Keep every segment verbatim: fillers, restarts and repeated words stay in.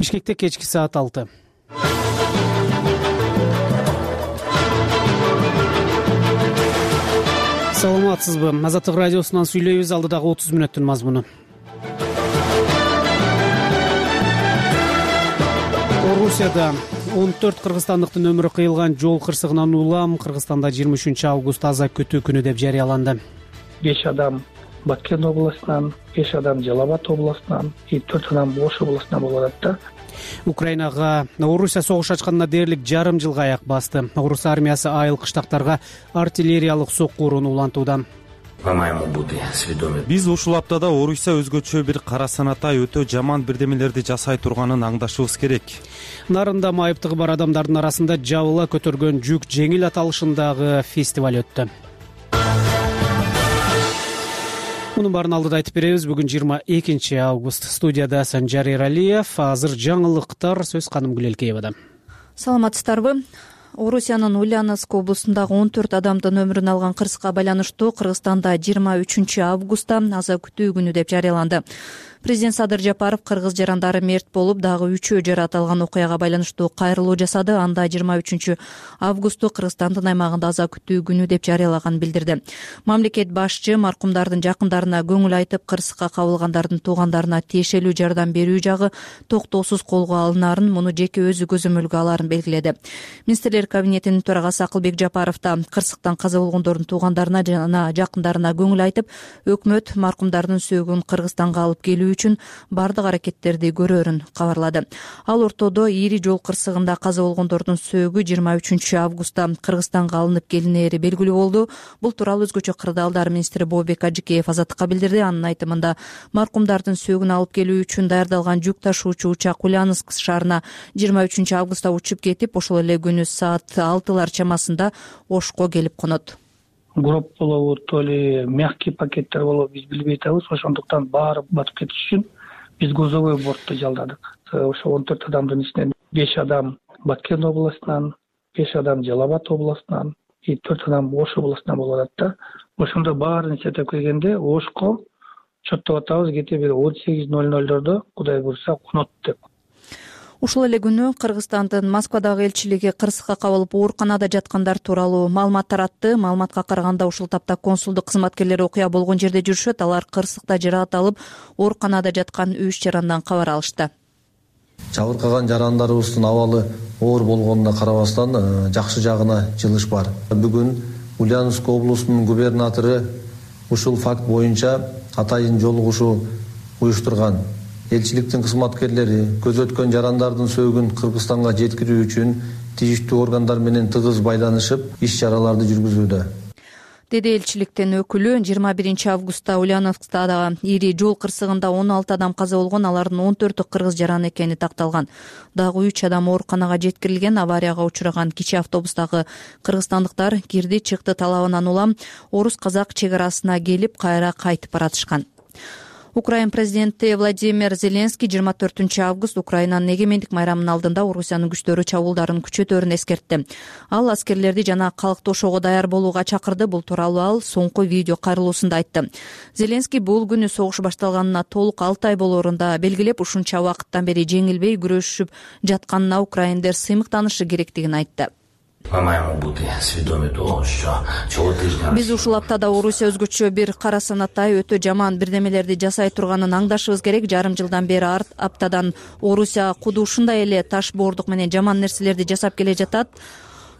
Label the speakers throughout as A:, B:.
A: Бишкекте кечки саат алты. Саламатсызбы? Азаттык радиосунан сүйлөйбүз. Алдыдагы отуз мүнөттүн мазмуну. Орусияда он төрт кыргызстандыктын өмүрү кыйылган жол кырсыгынан улам Кыргызстанда жыйырма үчүнчү август аза күтүү күнү деп жарыяланды.
B: беш адам Баткен областынан, беш адам Жалал Абад областынан, төрт адам Ош областынан болуп атат да.
A: Украинага Орусия согуш ачканына дээрлик жарым жылга аяк басты. Орус армиясы айыл кыштактарга артиллериялык соккууруну улантууда.
C: Биз ушул аптада Орусия өзгөчө бир кара санатай өтө жаман бирдемелерди жасай турганын аңдашыбыз керек.
A: Нарында майыптыгы бар адамдардын арасында жабыла көтөргөн жүк жеңил аталышындагы фестиваль өттү. Мунун баарын алдыда айтып беребиз. Бүгүн жыйырма экинчи август. Студияда Санжар Эралиев. Азыр жаңылыктар сөз Каным Гүлелкеевада.
D: Саламатсыздарбы? Орусиянын Ульяновск облусундагы он төрт адамдын өмүрүн алган кырсыкка байланыштуу Кыргызстанда жыйырма үчүнчү августта аза күтүү күнү деп жарыяланды. Президент Садыр Жапаров кыргыз жарандары мерт болуп, дагы үчөө жаратылган окуяга байланыштуу кайрылуу жасады. Анда жыйырма үчүнчү августу Кыргызстандын аймагында аза күтүү күнү деп жарыялаганын билдирди. Мамлекет башчы маркумдардын жакындарына көңүл айтып, кырсыкка кабылгандардын туугандарына тиешелүү жардам берүү жагы токтоосуз колго алынаарын, муну жеке өзү көзөмөлгө алаарын белгиледи. Министрлер кабинетинин төрагасы Акылбек Жапаров да кырсыктан каза болгондордун туугандарына жана жакындарына көңүл айтып, өкмөт маркумдардын сөөгүн Кыргызстанга алып келүү үчүн бардык аракеттерди көрөрүн кабарлады. Ал ортодо ири жол кырсыгында каза болгондордун сөөгү жыйырма үчүнчү августта Кыргызстанга алынып келинери белгилүү болду. Бул тууралуу өзгөчө кырдаалдар министри Бообек Ажыкеев Азаттыкка билдирди. Анын айтымында, маркумдардын сөөгүн алып келүү үчүн даярдалган жүк ташуучу учак Ульяновск шаарына жыйырма үчүнчү августта учуп кетип, ошол эле күнү саат алтылар чамасында Ошко келип конот.
B: Гроб болобу, то ли мягкий пакеттер болобу, биз билбей атабыз. Ошондуктан баары батып кетиш үчүн биз грузовой бортто жалдадык. Ошо он төрт адамдын ичинен беш адам Баткен областынан, беш адам Жалал Абад областынан, төрт адам Ош областынан болуп атат да. Ошондо баарын эсептеп келгенде Ошко чоттоп атабыз кете бир он сегиз ноль нольдордо Кудай буйрса конот деп.
D: Ушул эле күнү Кыргызстандын Москвадагы элчилиги кырсыкка кабылып ооруканада жаткандар тууралуу маалымат таратты. Маалыматка караганда, ушул тапта консулдук кызматкерлери окуя болгон жерде жүрүшөт. Алар кырсыкта жаракат алып, ооруканада жаткан үч жарандан кабар алышты.
E: Жабыркаган жарандарыбыздын абалы оор болгонуна карабастан жакшы жагына жылыш бар. Бүгүн Ульяновск облусунун губернатору ушул факт боюнча атайын жолугушуу уюштурган. Элчиликтин кызматкерлери көзөткөн жарандардын сөөгүн Кыргызстанга жеткирүү үчүн тийиштүү органдар менен тыгыз байланышып, иш-чараларды жүргүзүүдө.
D: Деди элчиликтин өкүлү. жыйырма биринчи августта Ульяновскдагы ири жол кырсыгында он алты адам каза болгон, алардын он төртү кыргыз жараны экени такталган. Дагы үч адам ооруканага жеткирилген. Аварияга учураган кичи автобустагы кыргызстандыктар кирди чыкты талабынан улам орус-казак чек арасына келип, кайра кайтып баратышкан. Украин президенти Владимир Зеленский жыйырма төртүнчү август Украинанын эгемендик майрамынын алдында Орусиянын күчтөрү чабуулдарын күчөтөрүн эскертти. Ал аскерлерди жана калкты ошого даяр болууга чакырды. Бул тууралуу ал соңку видео кайрылуусунда айтты. Зеленский бул күнү согуш башталганына толук алты ай болоорун да белгилеп, ушунча убакыттан бери жеңилбей күрөшүп жатканына украиндер сыймыктанышы керектигин айтты. Биз ушул аптада Орусия өзгөчө бир кара санатай өтө жаман бирдемелерди жасай турганын аңдашыбыз керек. Жарым жылдан бери арт аптадан Орусия куду ушундай эле таш боордук менен жаман нерселерди жасап келе жатат.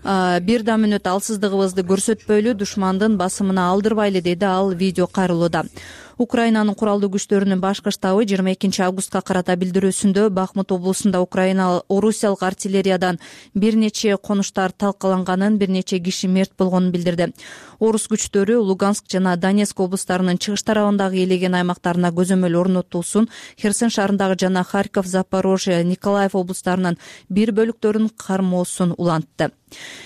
D: Бир да мүнөт алсыздыгыбызды көрсөтпөйлү, душмандын басымына алдырбайлы, деди ал видео кайрылууда. Украинанын куралдуу күчтөрүнүн башкы штабы жыйырма экинчи августка карата билдирүүсүндө Бахмут облусунда Украина орусиялык артиллериядан бир нече конуштар талкаланганын, бир нече киши мерт болгонун билдирди. Орус күчтөрү Луганск жана Донецк облустарынын чыгыш тарабындагы элеген аймактарына көзөмөл орнотуусун, Херсон шаарындагы жана Харьков, Запорожье, Николаев облустарынын бир бөлүктөрүн кармоосун улантты.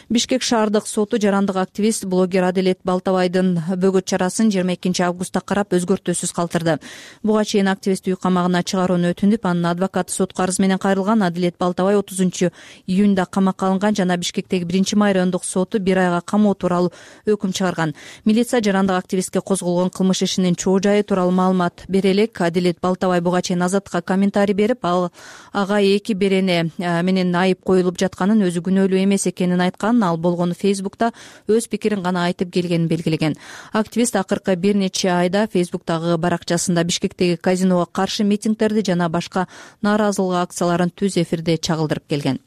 D: Бишкек шаардык соту жарандык активист, блогер Аделет Балтабайдын бөгөт чарасын жыйырма экинчи августта карап өзгөртүү сүрөттөөсүз калтырды. Буга чейин активист үй камагына чыгарууну өтүнүп, анын адвокаты сотко арыз менен кайрылган. Адилет Балтабай отузунчу июнда камакка алынган жана Бишкектеги биринчи май райондук соту бир айга камоо тууралуу өкүм чыгарган. Милиция жарандык активистке козголгон кылмыш ишинин чоо жайы тууралуу маалымат бере элек. Адилет Балтабай буга чейин Азаттыкка комментарий берип, ал ага эки берене менен айып коюлуп жатканын, өзү күнөөлүү эмес экенин айткан. Ал болгону Фейсбукта өз пикирин гана айтып келгенин белгилеген. Активист акыркы бир нече айда Фейсбуктагы баракчасында Бишкектеги казиного каршы митингдерди жана башка нааразылык акцияларын түз эфирде чагылдырып келген.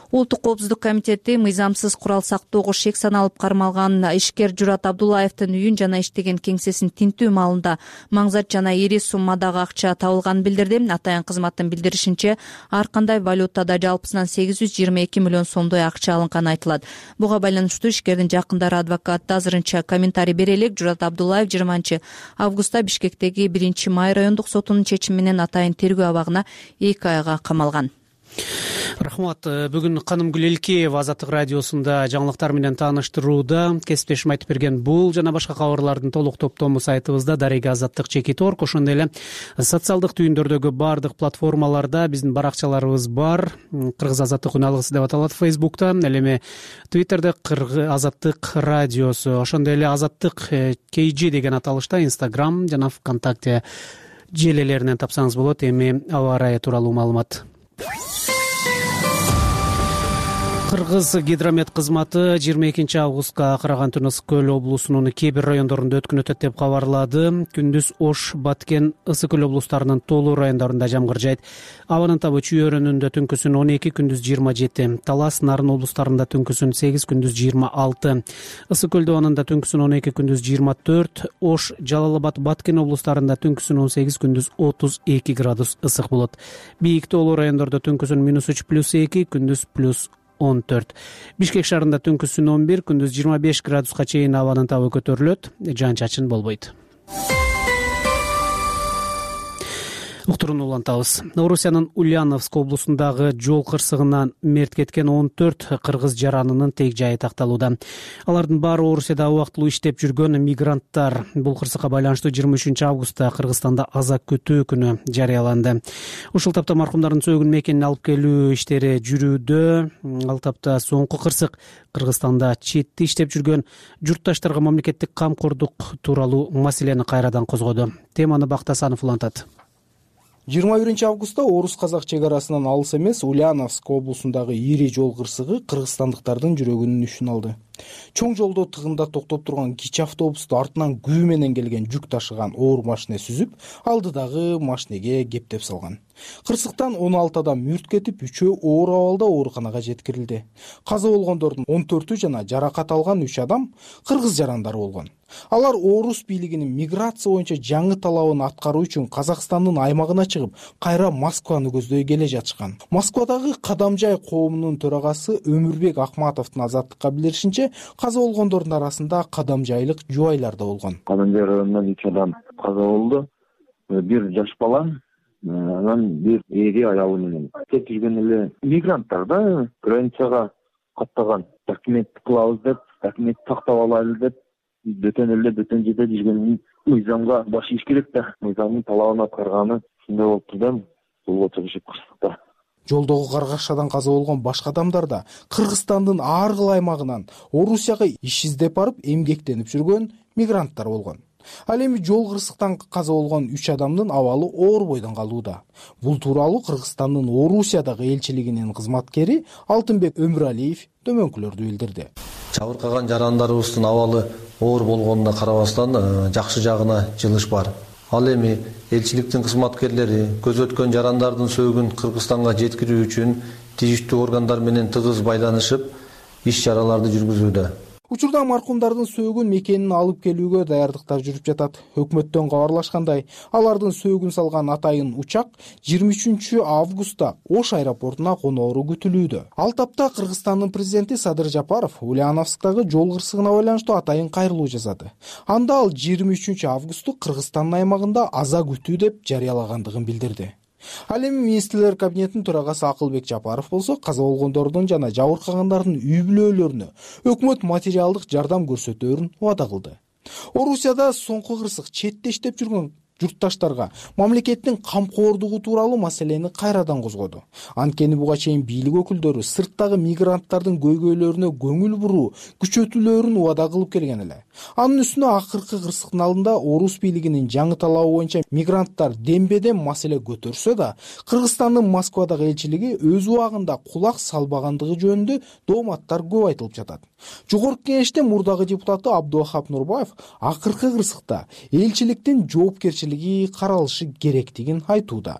D: Улуттук коопсуздук комитети мыйзамсыз курал сактоого шек саналып кармалган ишкер Журат Абдуллаевдин үйүн жана иштеген кеңсесин тинтүү маалында маңзат жана ири суммадагы акча табылганын билдирди. Атайын кызматтын билдиришинче, ар кандай валютада жалпысынан сегиз жүз жыйырма эки миллион сомдой акча алынганы айтылат. Буга байланыштуу ишкердин жакындары адвокаты азырынча комментарий бере элек. Журат Абдуллаев жыйырманчы августта Бишкектеги биринчи май райондук сотунун чечими менен атайын тергөө абагына эки айга камалган.
A: Рахмат. Бүгүн Канымгүл Элкеева Азаттык радиосунда жаңылыктар менен тааныштырууда. Кесиптешим айтып берген бул жана башка кабарлардын толук топтому сайтыбызда дареги азаттык чекит точка орг, ошондой эле социалдык түйүндөрдөгү бардык платформаларда биздин баракчаларыбыз бар. Кыргыз азаттык үн алгысы деп аталат Фейсбукта, ал эми Твиттерде Кыргыз азаттык радиосу, ошондой эле азаттык кей жи деген аталышта Инстаграм жана ВКонтакте желелеринен тапсаңыз болот. Эми аба ырайы тууралуу маалымат. Кыргыз гидромет кызматы жыйырма экинчи августка акыраган түнү Ысык көл облусунун кээ бир райондорунда өткөн өтөт деп кабарлады. Күндүз Ош, Баткен, Ысык көл облустарынын тоолуу райондорунда жамгыр жайт. Абанын табы Чүй өрөөнүндө түнкүсүн он эки, күндүз жыйырма жети. Талас, Нарын облустарында түнкүсүн сегиз, күндүз жыйырма алты. Ысык көл абанында түнкүсүн он эки, күндүз жыйырма төрт. Ош, Жалал Абад, Баткен облустарында түнкүсүн он сегиз, күндүз отуз эки градус ысык болот. Бийик тоолуу райондордо түнкүсүн минус үч, плюс эки, күндүз плюс он төрт. Бишкек шаарында түнкүсүн он бир, күндүз жыйырма беш градуска чейин абанын табы көтөрүлөт. Жаан-чачын болбойт. Уктуруну улантабыз. Орусиянын Ульяновск облусундагы жол кырсыгынан мерт кеткен он төрт кыргыз жаранынын тег жайы такталууда. Алардын баары Орусияда убактылуу иштеп жүргөн мигранттар. Бул кырсыкка байланыштуу жыйырма үчүнчү августта Кыргызстанда аза күтүү күнү жарыяланды. Ушул тапта маркумдардын сөгүн мекенине алып келүү иштери жүрүүдө. Ал тапта соңку кырсык Кыргызстанда четте иштеп жүргөн журтташтарга мамлекеттик камкордук тууралуу маселени кайрадан козгоду. Теманы Бактасанов улантат.
F: жыйырма биринчи августта орус-казак чек арасынан алыс эмес Ульяновск облусундагы ири жол кырсыгы кыргызстандыктардын жүрөгүнүн үшүн алды. Чоң жолдо тыгында токтоп турган кичи автобусту артынан күбө менен келген жүк ташыган оор машине сүзүп, алдыдагы машинеге кептеп салган. Кырсыктан он алты адам мүрт кетип, үчөө оор абалда ооруканага жеткирилди. Каза болгондордун он төртү жана жаракат алган үч адам кыргыз жарандары болгон. Алар орус бийлигинин миграция боюнча жаңы талабын аткаруу үчүн Казакстандын аймагына чыгып, кайра Москваны көздөй келе жатышкан. Москвадагы Кадамжай коомунун төрагасы Өмүрбек Акматовдун азаттыкка билдиришинче, каза болгондордун арасында кадамжайлык жубайлар да болгон.
G: Кадамжай районунан үч адам каза болду. Бир жаш бала, анан бир эри аялы менен. Тек жүргөн эле мигранттар да границага каттаган. Документ кылабыз деп, документ тактап алайлы деп, бөтөн эле бөтөн жерде жүргөн мыйзамга баш ийиш керек да. Мыйзамдын талабын аткарганы ушундай болуптур да. Бул чыгышып кырсыкта.
F: Жолдогу каргашадан каза болгон башка адамдар да Кыргызстандын ар кыл аймагынан Орусияга иш издеп барып эмгектенип жүргөн мигранттар болгон. Ал эми жол кырсыктан каза болгон үч адамдын абалы оор бойдон калууда. Бул тууралуу Кыргызстандын Орусиядагы элчилигинин кызматкери Алтынбек Өмүралиев төмөнкүлөрдү билдирди.
E: Чабыркаган жарандарыбыздын абалы оор болгонуна карабастан жакшы жагына жылыш бар. Ал эми элчиликтин кызматкерлери көз өткөн жарандардын сөөгүн Кыргызстанга жеткирүү үчүн тийиштүү органдар менен тыгыз байланышып, иш чараларды жүргүзүүдө.
F: Учурда маркумдардын сөөгүн мекенин алып келүүгө даярдыктар жүрүп жатат. Өкмөттөн кабарлашкандай, алардын сөөгүн салган атайын учак жыйырма үчүнчү августта Ош аэропортуна коноору күтүлүүдө. Ал тапта Кыргызстандын президенти Садыр Жапаров Ульяновсктагы жол кырсыгына байланыштуу атайын кайрылуу жасады. Анда ал жыйырма үчүнчү августу Кыргызстандын аймагында аза күтүү деп жарыялагандыгын билдирди. Ал эми министрлер кабинетинин төрагасы Акылбек Жапаров болсо, каза болгондордун жана жабыркагандардын үй бүлөлөрүнө өкмөт материалдык жардам көрсөтөөрүн убада кылды. Орусияда соңку кырсык четте иштеп жүргөн журтташтарга мамлекеттин камкордугу тууралуу маселени кайрадан козгоду. Анткени буга чейин бийлик өкүлдөрү сырттагы мигранттардын көйгөйлөрүнө көңүл буруу, күчөтүүлөрүн убада кылып келген эле. Анын үстүнө акыркы кырсыктын алдында орус бийлигинин жаңы талабы боюнча мигранттар дембедем маселе көтөрсө да, Кыргызстандын Москвадагы элчилиги өз убагында кулак салбагандыгы жөнүндө дооматтар көп айтылып жатат. Жогорку кеңеште мурдагы депутаты Абдувахап Нурбаев акыркы кырсыкта элчиликтин жоопкерчилиги каралышы керектигин айтууда.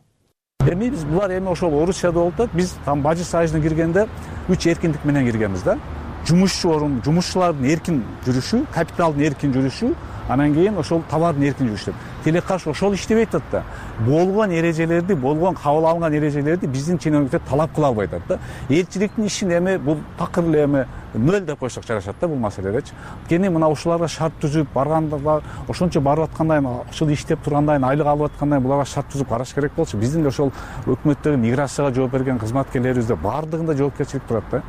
H: Эми биз булар эми ошол Орусияда болуп атат. Биз там Бажы союзуна киргенде үч эркиндик менен киргенбиз да. Жумушчу орун, жумушчулардын эркин жүрүшү, капиталдын эркин жүрүшү, анан кийин ошол товардын эркин жүрүшү. Тилекке каршы ошол иштебей атат да. Болгон эрежелерди, болгон кабыл алынган эрежелерди биздин чиновниктер талап кыла албай атат да. Элчиликтин ишин эми бул такыр эле эми нөл деп койсок жарашат да бул маселедечи. Кени мына ушуларга шарт түзүп барганда ошончо барып аткандан, ушул иштеп тургандан, айлык алып аткандан буларга шарт түзүп караш керек болчу. Биздин да ошол өкмөттөгү миграцияга жооп берген кызматкерлерибизде баардыгында жоопкерчилик турат да.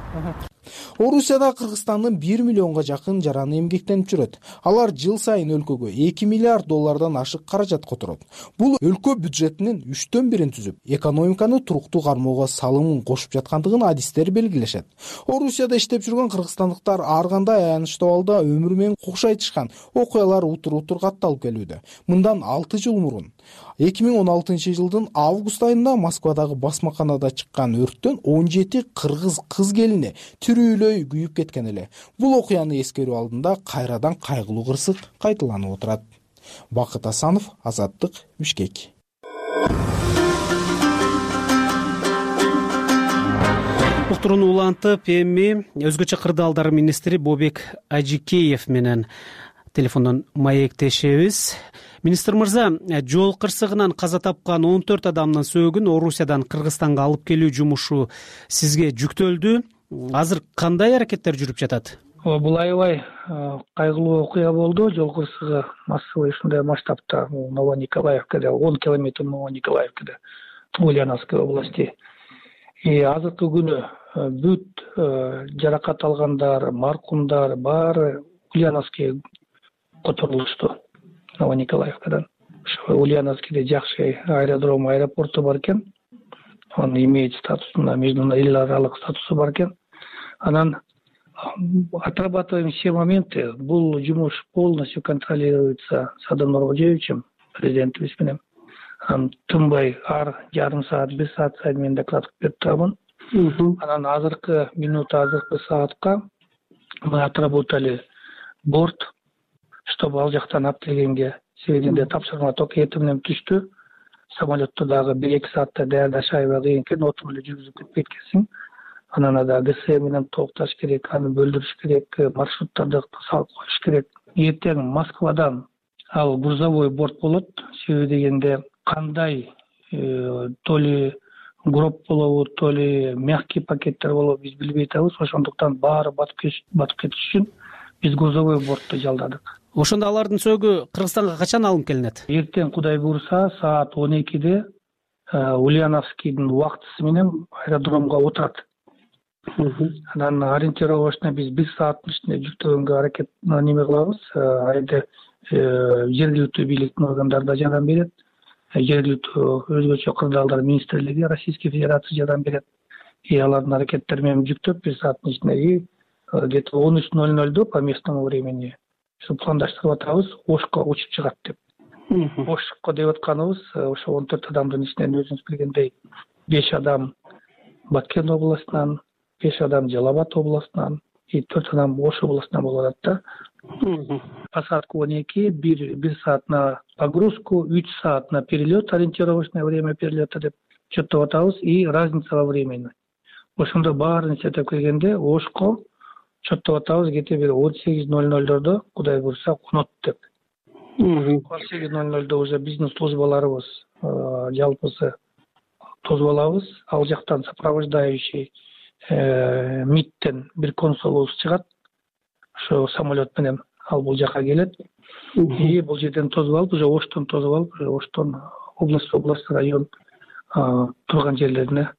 F: Орусияда Кыргызстандын бир миллионго жакын жараны эмгектенип жүрөт. Алар жыл сайын өлкөгө эки миллиард доллардан ашык каражат которот. Бул өлкө бюджетинин үчтөн бирин түзүп, экономиканы туруктуу кармоого салымын кошуп жаткандыгын адистер белгилешет. Орусияда иштеп жүргөн кыргызстандыктар ар кандай аянычтуу абалда өмүрү менен кокшайтышкан окуялар утур-утур катталып келүүдө. Мындан алты жыл мурун эки миң он алтынчы жылдын август айында Москвадагы басмаканада чыккан өрттөн он жети кыргыз кыз келини тирүүлөй күйүп кеткен эле. Бул окуяны эскерүү алдында кайрадан кайгылуу кырсык кайталанып отурат. Бакыт Асанов, Азаттык, Бишкек.
A: Уктурууну улантып, эми өзгөчө кырдаалдар министри Бобек Ажикеев менен телефондон маектешебиз. Министр мырза, жол кырсыгынан каза тапкан он төрт адамдын сөөгүн Орусиядан Кыргызстанга алып келүү жумушу сизге жүктөлдү. Азыр кандай аракеттер жүрүп жатат?
B: Бул аябай кайгылуу окуя болду. Жол кырсыгы массовый ушундай масштабта Новониколаевкада, он километр Новониколаевкада, Ульяновской области. И азыркы күнү бүт жаракат алгандар, маркумдар баары Ульяновский которулушту. Новониколаевкадан. Ошо Ульяновскийде жакшы аэродром, аэропорту бар экен. Он имеет статусуна, эл аралык статусу бар экен. Анан отрабатываем все моменты. Бул жумуш полностью контролируется Садым Нуркожоевичем, президентибиз менен. Анан тынбай ар жарым саат, бир саат сайын мен доклад кылып берип турабын. Анан азыркы минут, азыркы саатка мы отработали борт, чтобы ал жактан алып келгенге себебинде тапшырма только эртең менен түштү. Самолетто дагы бир-эки саатта даярдаш аябай кыйын экен, отуруп эле жүргүзүп кетпейт экенсиң. Анан да ГС менен толукташ керек, аны бөлдүрүш керек, маршруттарды салып коюш керек. Эртең Москвадан ал грузовой борт болот. Себеби дегенде кандай то ли гроб болобу, то ли мягкий пакеттер болобу биз билбей атабыз. Ошондуктан баары батып кетиш үчүн биз грузовой бортто жалдадык.
A: Ошондо алардын сөөгү Кыргызстанга качан алынып келинет?
B: Эртең Кудай буйруса саат он экиде Ульяновскийдин убактысы менен аэродромго отурат. Анан ориентировочно биз бир сааттын ичинде жүктөгөнгө аракет неме кылабыз. Айда жергиликтүү бийликтин органдары да жардам берет. Жергиликтүү өзгөчө кырдаалдар министрлиги Российской Федерации жардам берет. И алардын аракеттери менен жүктөп бир сааттын ичинде где-то он үч ноль нольдо по местному времени пландаштырып атабыз, Ошко учуп чыгат деп. Ошко деп атканыбыз ошо он төрт адамдын ичинен өзүңүз билгендей беш адам Баткен областынан, беш адам Жалал Абад областынан, и төрт адам Ош областынан болуп атат да. Посадка он эки, бир саат на погрузку, үч саат на перелет, ориентировочное время перелета деп чөттөп атабыз, и разница во времени. Ошондо баарын эсептеп келгенде Ошко чөттөп атабыз где-то бир он сегиз ноль нольдордо Кудай буйруса конот деп. он сегиз ноль нольдо уже биздин службаларыбыз жалпысы тосуп алабыз. Ал жактан сопровождающий МИДтен бир консулубуз чыгат. Ошо самолет менен ал бул жака келет. И бул жерден тосуп алып, уже Оштон тосуп алып, Оштон область, область, район турган жерлерине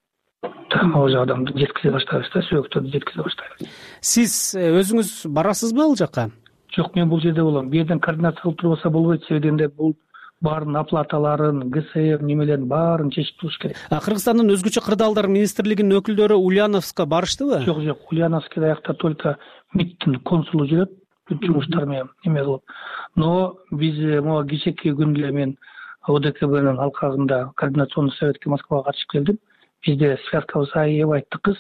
B: уже адамды жеткизе баштайбыз да, сөөктөрдү жеткизе баштайбыз.
A: Сиз өзүңүз барасызбы ал жака?
B: Жок, мен бул жерде болом. Бу жерден координация кылып турбаса болбойт. Себеби дегенде бул баарын оплаталарын, ГСМ немелерин баарын чечип туруш керек.
A: Кыргызстандын өзгөчө кырдаалдар министрлигинин өкүлдөрү Ульяновска барыштыбы?
B: Жок, жок. Ульяновскда аякта только МИДтин консулу жүрөт, жумуштар менен эме кылып. Но биз могу кечээки күндө эле мен ОДКБнын алкагында координационный советке Москвага катышып келдим. Бизде связкабыз аябай тыкыз.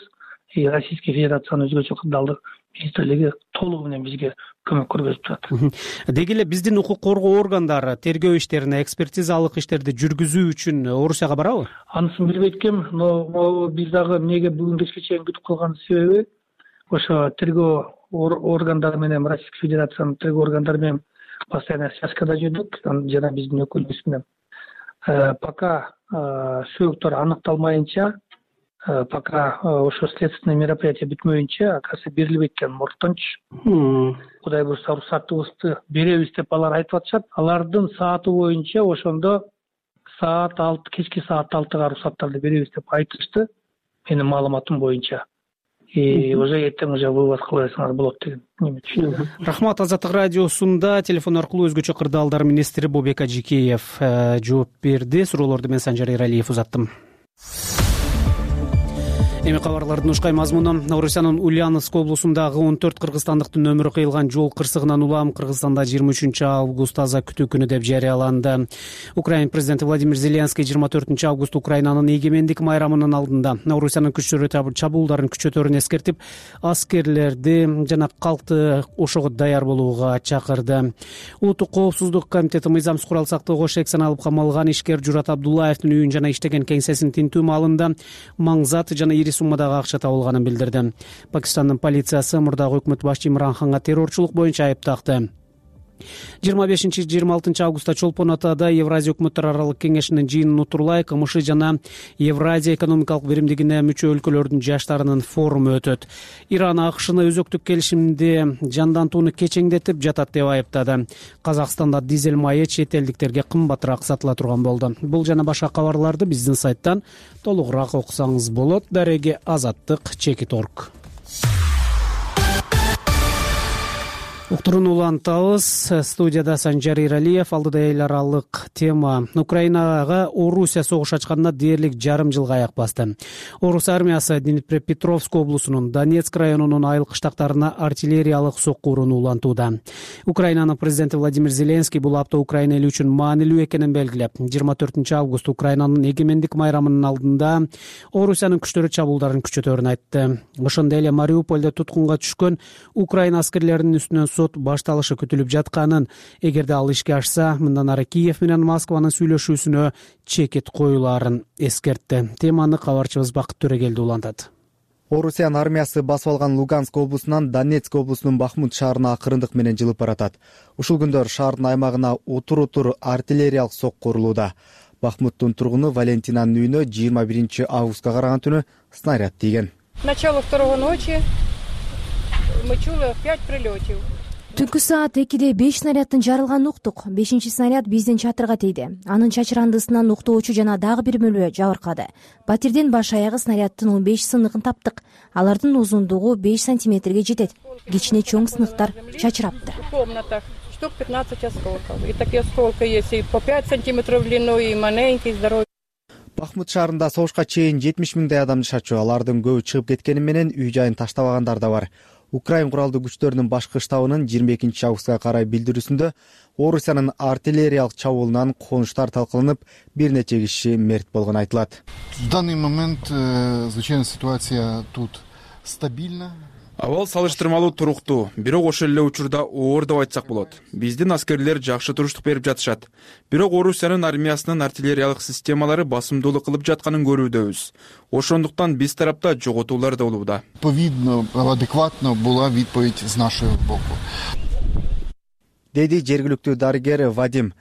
B: Российская Федерациянын өзгөчө кырдаалдык министрлиги толугу менен бизге көмөк көрсөтүп турат.
A: Деги эле биздин укук коргоо органдары тергөө иштерине, экспертизалык иштерди жүргүзүү үчүн Орусияга барабы?
B: Анысын билбейт экенмин, но биз дагы эмнеге бүгүн кечке чейин күтүп калган себеби ошо тергөө органдары менен, Российская Федерациянын тергөө органдары менен постоянно связкада жүрдүк, жана биздин өкүлүбүз менен. Пока сөөгүттөр аныкталмайынча, пока ошо следственный мероприятие бүтмөйүнчө, оказывается, берилбейт экен моргтончу. Кудай буюрса уруксатыбызды беребиз деп алар айтып атышат. Алардын сааты боюнча ошондо саат алты, кечки саат алтыга уруксаттарды беребиз деп айтышты. Менин маалыматым боюнча. И уже эртең уже вывод кыласыңар болот деген неме түшүндүм.
A: Рахмат. Азаттык радиосунда телефон аркылуу өзгөчө кырдаалдар министри Бобек Ажикеев жооп берди. Суроолорду мен Санжар Эралиев узаттым. Эми кабарлардын ушкай мазмуну: Орусиянын Ульяновск облусундагы он төрт кыргызстандыктын өмүрү кыйылган жол кырсыгынан улам Кыргызстанда жыйырма үчүнчү август аза күтүү күнү деп жарыяланды. Украина президенти Владимир Зеленский жыйырма төртүнчү август Украинанын эгемендик майрамынын алдында Орусиянын күчтөрү чабуулдарын күчөтөрүн эскертип, аскерлерди жана калкты ошого даяр болууга чакырды. Улуттук коопсуздук комитети мыйзамсыз курал сактоого шексен алып камалган ишкер Журат Абдуллаевдин үйүн жана иштеген кеңсесин тинтүү маалында маңзат жана ири суммадагы акча табылганын билдирди. Пакистандын полициясы мурдагы өкмөт башчы Имран Ханга террорчулук боюнча айып такты. жыйырма бешинчи жыйырма алтынчы августта Чолпон Атада Евразия өкмөттөр аралык кеңешинин жыйынын утурлай КМШ жана Евразия экономикалык биримдигине мүчө өлкөлөрдүн жаштарынын форуму өтөт. Иран АКШны өзөктүк келишимди жандантууну кечеңдетип жатат деп айыптады. Казакстанда дизель майы чет элдиктерге кымбатыраак сатыла турган болду. Бул жана башка кабарларды биздин сайттан толугураак окусаңыз болот. Дареги Азаттык, Чекит точка орг. Уктурууну улантабыз. Студияда Санжар Эралиев. Алдыда эл аралык тема. Украинага Орусия согуш ачканына дээрлик жарым жылга аяк басты. Орус армиясы Днепропетровск облусунун Донецк районунун айыл кыштактарына артиллериялык сокку урууну улантууда. Украинанын президенти Владимир Зеленский бул апта Украина эли үчүн маанилүү экенин белгилеп, жыйырма төртүнчү август Украинанын эгемендик майрамынын алдында Орусиянын күчтөрү чабуулдарын күчөтөрүн айтты. Ошондой эле Мариупольдо туткунга түшкөн Украина аскерлеринин үстүнөн сот башталышы күтүлүп жатканын, эгерде ал ишке ашса, мындан ары Киев менен Москванын сүйлөшүүсүнө чекит коюлаарын эскертти. Теманы кабарчыбыз Бакыт Төрөгелди улантат.
I: Орусиянын армиясы басып алган Луганск облусунан Донецк облусунун Бахмут шаарына акырындык менен жылып баратат. Ушул күндөр шаардын аймагына утур-утур артиллериялык сокку урулууда. Бахмуттун тургуну Валентинанын үйүнө жыйырма биринчи августка караган түнү снаряд тийген.
J: Начало второго ночи мы чули пять прилетов.
K: Түнкү саат экиде беш снаряддын жарылганын уктук. Бешинчи снаряд биздин чатырга тийди. Анын чачырандысынан уктоочу жана дагы бир мөлбө жабыркады. Батирден баш аягы снаряддын он беш сыныгын таптык. Алардын узундугу беш сантиметрге жетет. Кичине чоң сыныктар чачыраптыр.
J: В комнатах штук пятнадцать осколков. И такие осколки есть и по пять сантиметров длиной, и маленький, здоровый.
I: Бахмут шаарында согушка чейин жетимиш миңдей адам жашачу. Алардын көбү чыгып кеткени менен үй жайын таштабагандар да бар. Украин куралдуу күчтөрүнүн башкы штабынын жыйырма экинчи августка карай билдирүүсүндө Орусиянын артиллериялык чабуулунан конуштар талкаланып, бир нече киши мерт болгону айтылат.
L: В данный момент звычайно ситуация тут стабильна.
M: Абал салыштырмалуу туруктуу, бирок ошол эле учурда оор деп айтсак болот. Биздин аскерлер жакшы туруштук берип жатышат. Бирок Орусиянын армиясынын артиллериялык системалары басымдуулук кылып жатканын көрүүдөбүз. Ошондуктан биз тарапта жоготуулар да болууда.
L: Повидно, адекватно була відповідь з нашого боку.
I: Деди жергиликтүү дарыгер Вадим.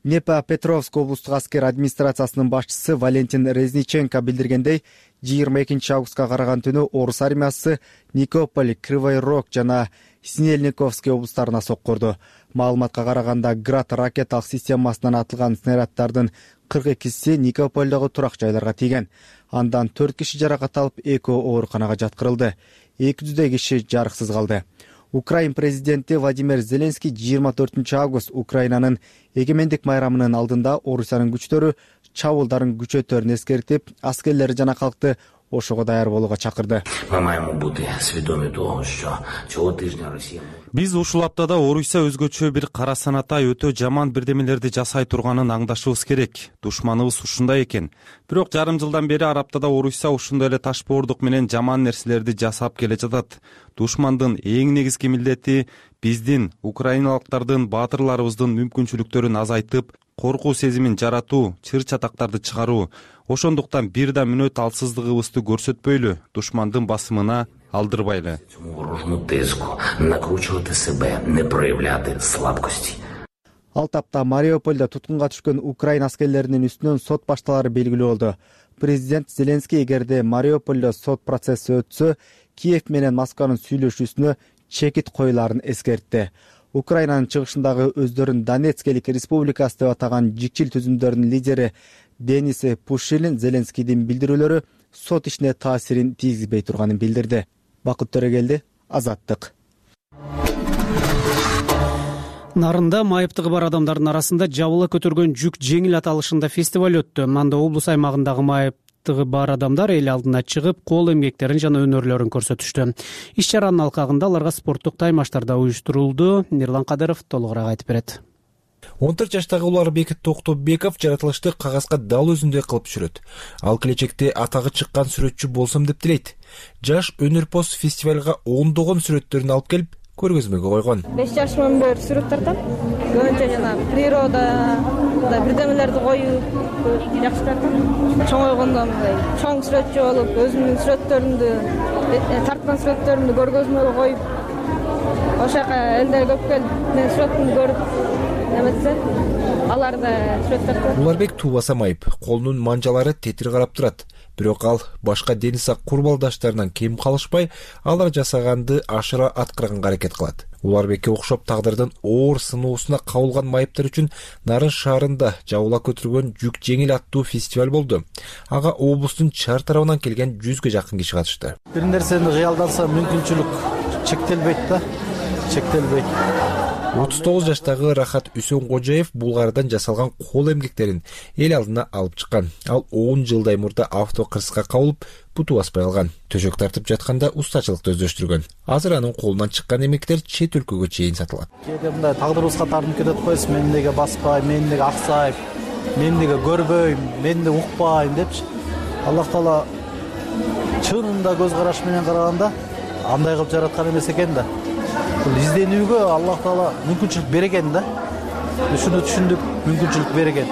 I: Днепропетровск облустук аскер администрациясынын башчысы Валентин Резниченко билдиргендей, жыйырма экинчи августка караган түнү Орус армиясы Никополь, Кривой Рог жана Снельниковский облустарына сокку урду. Маалыматка караганда Град ракеталык системасынан атылган снаряддардын кырк экиси Никопольдогу турак жайларга тийген. Андан төрт киши жаракат алып, экөө ооруканага жаткырылды. эки жүздөй киши жарыксыз калды. Украин президенти Владимир Зеленский жыйырма төртүнчү август Украинанын эгемендик майрамынын алдында Орусиянын күчтөрү чабуулдарын күчөтөрүн эскертип, аскерлери жана калкты ошого даяр болууга чакырды.
C: Биз ушул аптада Орусия өзгөчө бир кара санатай өтө жаман бирдемелерди жасай турганын аңдашыбыз керек. Душманыбыз ушундай экен. Бирок жарым жылдан бери Арабтада Орусия ушундай эле ташбоордук менен жаман нерселерди жасап келе жатат. Душмандын эң негизги милдети биздин, украиналыктардын, баатырларыбыздын мүмкүнчүлүктөрүн азайтып, коркуу сезимин жаратуу, чыр-чатактарды чыгаруу. Ошондуктан бир да мүнөт алсыздыгыбызды көрсөтпөйлү, душмандын басымына алдырбайлы.
I: Ал тапта Мариупольдо туткунга түшкөн Украин аскерлеринин үстүнөн сот башталары белгилүү болду. Президент Зеленский эгерде Мариупольдо сот процесси өтсө, Киев менен Москванын сүйлөшүүсүнө чекит коюларын эскертти. Украинанын чыгышындагы өздөрүн Донецкелик республикасы деп атаган жикчил түзүмдөрдүн лидери Денис Пушилин Зеленскийдин билдирүүлөрү сот ишине таасирин тийгизбей турганын билдирди. Бакыт Төрөгелди, Азаттык.
A: Нарында майыптыгы бар адамдардын арасында жабыла көтөргөн жүк жеңил аталышында фестиваль өттү. Анда облус аймагындагы майыптыгы бар адамдар эл алдына чыгып, кол эмгектерин жана өнөрлөрүн көрсөтүштү. Иш чаранын алкагында аларга спорттук таймаштар да уюштурулду. Мирлан Кадыров толугураак айтып берет.
N: он төрт жаштагы Уларбек Токтобеков жаратылышты кагазга дал өзүндөй кылып түшүрөт. Ал келечекте атагы чыккан сүрөтчү болсом деп тилейт. Жаш өнөрпоз фестивалга ондогон сүрөттөрүн алып келип, көргөзмөгө койгон.
O: беш жашымдан бери сүрөт тартам. Көбүнчө жана природа, бирдемелерди коюп жакшы тартам. Чоңойгондо мындай чоң сүрөтчү болуп, өзүмдүн сүрөттөрүмдү, тарткан сүрөттөрүмдү көргөзмөгө коюп, ошока элдер көп келип, менин сүрөтүмдү көрүп, эметсе, алар да сүрөт тартат.
N: Уларбек туубаса майып, колунун манжалары тетир карап турат. Бирок ал башка дени сак курбалдаштарынан кем калышпай, алар жасаганды ашыра аткарганга аракет кылат. Уларбекке окшоп тагдырдын оор сыноосуна кабылган майыптар үчүн Нарын шаарында жабыла көтөргөн жүк жеңил аттуу фестиваль болду. Ага облустун чар тарабынан келген жүзгө жакын киши катышты.
F: Бир нерсени кыялданса мүмкүнчүлүк чектелбейт да, чектелбейт.
N: отуз тогуз жаштагы Рахат Үсөнгожаев Булгардан жасалган кол эмгектерин эл алдына алып чыккан. Ал он жылдай мурда авто кырсыкка кабылып, буту баспай калган. Төшөк тартып жатканда устачылыкты өздөштүргөн. Азыр анын колунан чыккан эмгектер чет өлкөгө чейин сатылат.
F: Кээде мындай тагдырыбызга тартынып кетет коесуз, мен эмнеге баспайм, мен эмнеге аксайм, мен эмнеге көрбөйм, мен эмнеге укпайм депчи. Аллах Таала чынында көз караш менен караганда андай кылып жараткан эмес экен да. Бул изденүүгө Аллах Таала мүмкүнчүлүк берген да. Ушуну түшүндүк, мүмкүнчүлүк берген.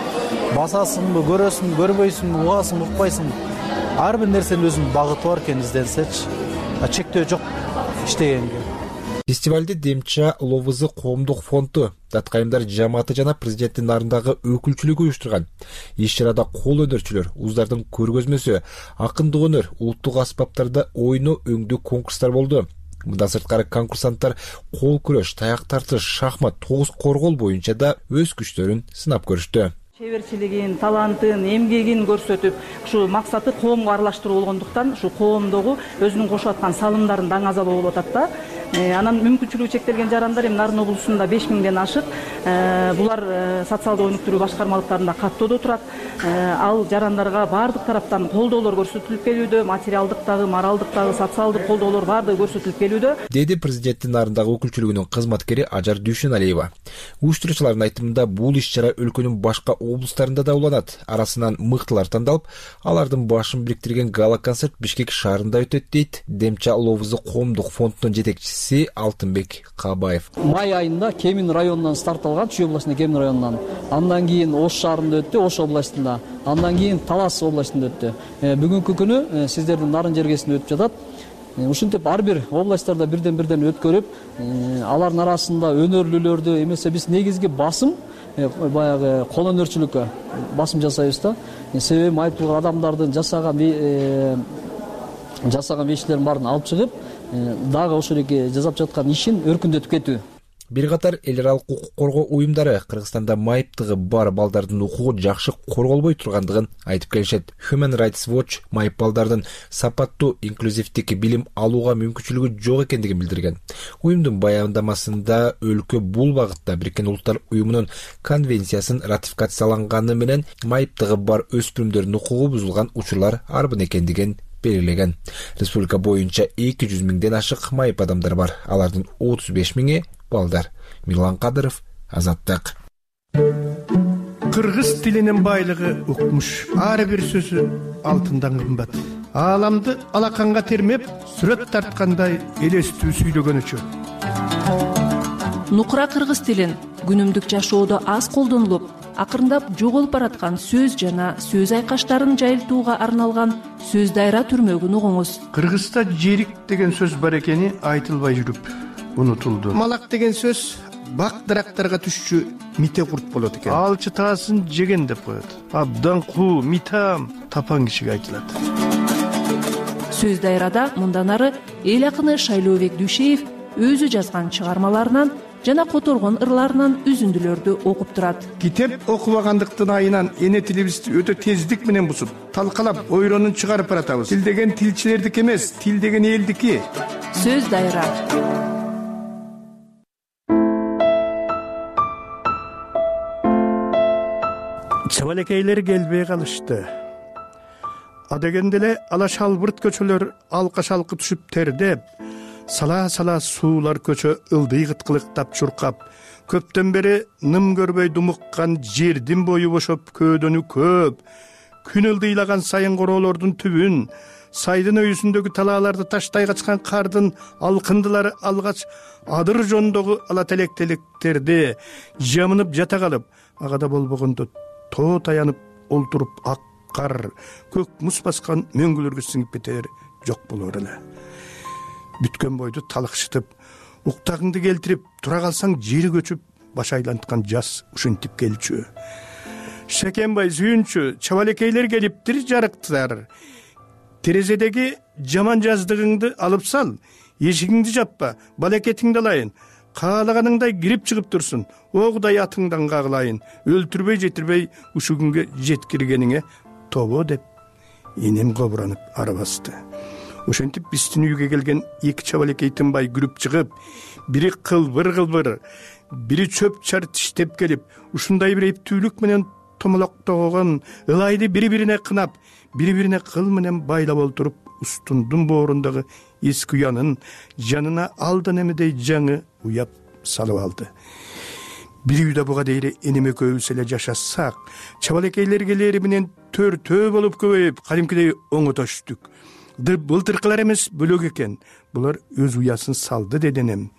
F: Басасыңбы, көрөсүңбү, көрбөйсүңбү, угасыңбы, укпайсыңбы? Ар бир нерсенин өзүнүн багыты бар экен изденсечи. Чектөө жок иштегенге.
N: Фестивалде Демча Ловызы коомдук фонду, Таткайымдар жамааты жана президенттин нарындагы өкүлчүлүгү уюштурган. Иш чарада кол өнөрчүлөр, уздардын көргөзмөсү, акындык өнөр, улуттук аспаптарда ойноо өңдүү конкурстар болду. Мындан сырткары конкурсанттар кол күрөш, таяк тартыш, шахмат, тогуз коргол боюнча да өз күчтөрүн сынап көрүштү.
P: Чеберчилигин, талантын, эмгегин көрсөтүп, ушу максаты коомго аралаштыруу болгондуктан, ушу коомдогу өзүнүн кошуп аткан салымдарын даңазалоо болуп атат да. Анан мүмкүнчүлүгү чектелген жарандар эми Нарын облусунда беш миңден ашык. Булар социалдык өнүктүрүү башкармалыктарында каттоодо турат. Ал жарандарга баардык тараптан колдоолор көрсөтүлүп келүүдө, материалдык дагы, моралдык дагы, социалдык колдоолор баардыгы көрсөтүлүп келүүдө.
N: Деди президенттин нарындагы өкүлчүлүгүнүн кызматкери Ажар Дүйшөналиева. Уюштуруучулардын айтымында бул иш чара өлкөнүн башка облустарында да уланат. Арасынан мыктылар тандалып, алардын башын бириктирген гала-концерт Бишкек шаарында өтөт дейт Демча Ловызы коомдук фондунун жетекчиси Алтынбек Кабаев.
Q: Май айында Кемин районунан старт алган, Чүй областынын Кемин районунан. Андан кийин Ош шаарында өттү, Ош областында. Андан кийин Талас областында өттү. Бүгүнкү күнү сиздердин Нарын жергесинде өтүп жатат. Ушинтип ар бир областтарда бирден-бирден өткөрүп, алардын арасында өнөрлүүлөрдү эмесе биз негизги басым баягы кол өнөрчүлүккө басым жасайбыз да. Себеби майыптуу адамдардын жасаган жасаган иштерин баарын алып чыгып, дагы ошол эки жасап жаткан ишин өркүндөтүп кетүү.
N: Бир катар эл аралык укук коргоо уюмдары Кыргызстанда майыптыгы бар балдардын укугу жакшы корголбой тургандыгын айтып келишет. Human Rights Watch майып балдардын сапаттуу инклюзивдик билим алууга мүмкүнчүлүгү жок экендигин билдирген. Уюмдун баяндамасында өлкө бул багытта Бириккен Улуттар уюмунун конвенциясын ратификацияланганы менен майыптыгы бар өспүрүмдөрдүн укугу бузулган учурлар арбын экендигин белгилеген. Республика боюнча эки жүз миңден ашык майып адамдар бар. Алардын отуз беш миңи балдар. Мирлан Кадыров, Азаттык.
R: Кыргыз тилинин байлыгы укмуш. Ар бир сөзү алтындан кымбат. Ааламды алаканга термеп, сүрөт тарткандай элестүү сүйлөгөнүчө.
S: Нукура кыргыз тилин күнүмдүк жашоодо аз колдонулуп, акырындап жоголуп бараткан сөз жана сөз айкаштарын жайылтууга арналган сөз дайра түрмөгүн угуңуз.
R: Кыргызда жерик деген сөз бар экени айтылбай жүрүп унутулду. Малак деген сөз бак дарактарга түшчү мите курт болот экен. Алчы таасын жеген деп коет. Абдан куу, митам тапан кишиге айтылат.
S: Сөз дайрада мындан ары эл акыны Шайлообек Дүйшеев өзү жазган чыгармаларынан жана которгон ырларынан үзүндүлөрдү окуп турат.
R: Китеп окубагандыктын айынан эне тилибизди өтө тездик менен бузуп, талкалап, ойронун чыгарып баратабыз. Тил деген тилчилердики эмес, тил деген элдики.
S: Сөз дайра.
R: Чабалекейлер келбей калышты. Адегенде эле ала шалбырт көчөлөр алка шалкы түшүп тердеп, сала-сала суулар көчө ылдый кыткылыктап чуркап, көптөн бери ным көрбөй думуккан жердин бою бошоп көөдөнү көп, күн ылдыйлаган сайын короолордун түбүн, сайдын өйүсүндөгү талааларды таштай качкан кардын алкындылары алгач адыр жондогу ала телектелектерди жамынып жата калып, агада болбогондо тоо таянып олтуруп ак кар, көк муз баскан мөңгүлөргө сиңип кетер жок болор эле. Бүткөн бойду талыкшытып, уктагыңды келтирип, тура калсаң жери көчүп, баш айланткан жаз ушинтип келчү. Шекенбай сүйүнчү, чабалекейлер келиптир жарыктар. Терезедеги жаман жаздыгыңды алып сал, эшигиңди жаппа, балекетиңди алайын. Каалаганыңдай кирип чыгып турсун, огудай атыңдан кагылайын. Өлтүрбөй жетирбей ушу күнгө жеткиргениңе тобо деп энем кобуранып арабасты. Ошентип биздин үйгө келген эки чабалекей тынбай күрүп чыгып, бири кылбыр-кылбыр, бири чөп чар тиштеп келип, ушундай бир эптүүлүк менен томолоктогон ылайды бири-бирине кынап, бири-бирине кыл менен байлап олтуруп, устундун боорундагы эски уянын жанына алдан эмедей жаңы уяп салып алды. Бир үйдө буга дейре энем экөөбүз эле жашасак, чабалекейлер келери менен төртөө болуп көбөйүп, кадимкидей оңотоштук. Былтыркылар эмес бөлөк экен. Булар өз уясын салды деди энем.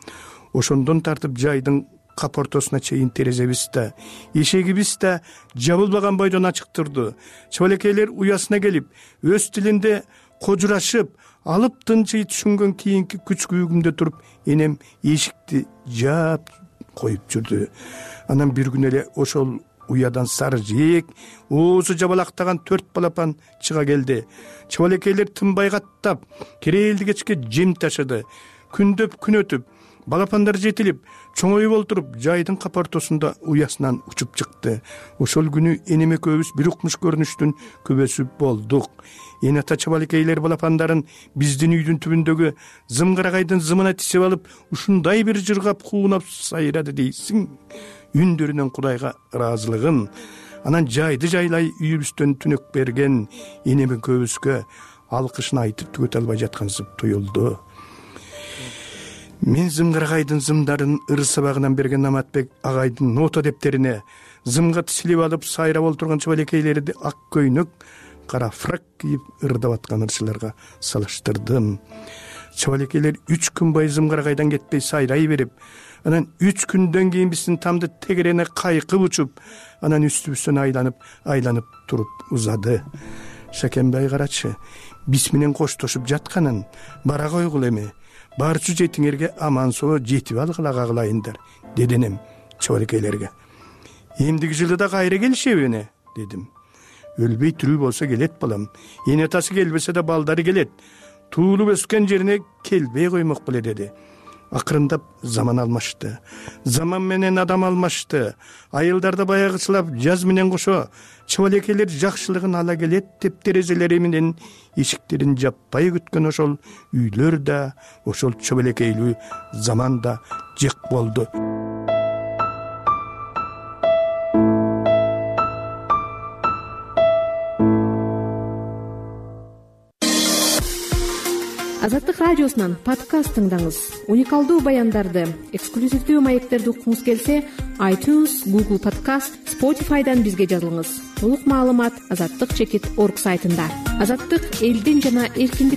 R: Ошондон тартып жайдын кап ортосуна чейин терезебиз да, эшегибиз да жабылбаган бойдон ачык турду. Чабалекейлер уясына келип, өз тилинде кожурашып, алып тынчый түшүнгөн кийинки күч күйүгүмдө туруп, энем эшикти жаап коюп жүрдү. Анан бир күн эле ошол уядан сары жээк, оозу жабалактаган төрт балапан чыга келди. Чабалекейлер тынбай каттап, кереэлди кечке жем ташыды. Күндөп күн өтүп, балапандар жетилип, чоңоюп олтуруп, жайдын кап ортосунда уясынан учуп чыкты. Ошол күнү энем экөөбүз бир укмуш көрүнүштүн күбөсү болдук. Эне ата чабалекейлер балапандарын биздин үйдүн түбүндөгү зымгарагайдын зымына тисип алып, ушундай бир жыргап куунап сайрады дейсиң. Үндөрүнөн Кудайга ыраазылыгын, анан жайды жайлай үйүбүздөн түнөк берген энем экөөбүзгө алкышын айтып түгөтө албай жаткансып туюлду. Мен зымгарагайдын зымдарын ыр сабагынан берген Наматбек агайдын нота дептерине зымга тисилип алып сайрап олтурган чабалекейлерди ак көйнөк, кара фрак кийип ырдап аткан ырчыларга салыштырдым. Чабалекейлер үч күн бою зымгарагайдан кетпей сайрай берип, анан үч күндөн кийин биздин тамды тегерене кайкып учуп, анан үстүбүздөн айланып, айланып туруп узады. Шакенбай карачы, биз менен коштошуп жатканын бара койгул эми. Барчу жетиңерге аман соо жетип алгыла кагылайындар, деди энем чабалекейлерге. Эмдиги жылы да кайра келишеби, дедим. Өлбөй тирүү болсо келет балам. Эне атасы келбесе да балдары келет. Туулуп өскөн жерине келбей коймок беле, деди. акырындап заман алмашты, заман менен адам алмашты. Айылдарда баягычылап жаз менен кошо чыбалекейлер жакшылыгын ала келет деп терезелери менен эшиктерин жаппай күткөн ошол үйлөр да, ошол чыбалекейлүү заман да жек болду.
T: Азаттык радиосунан подкаст тыңдаңыз. Уникалдуу баяндарды, эксклюзивдүү маектерди уккуңуз келсе, iTunes, Google Podcast, Spotify'дан бизге жазылыңыз. Толук маалымат азаттык чекит орг сайтында. Азаттык элдин жана эркиндик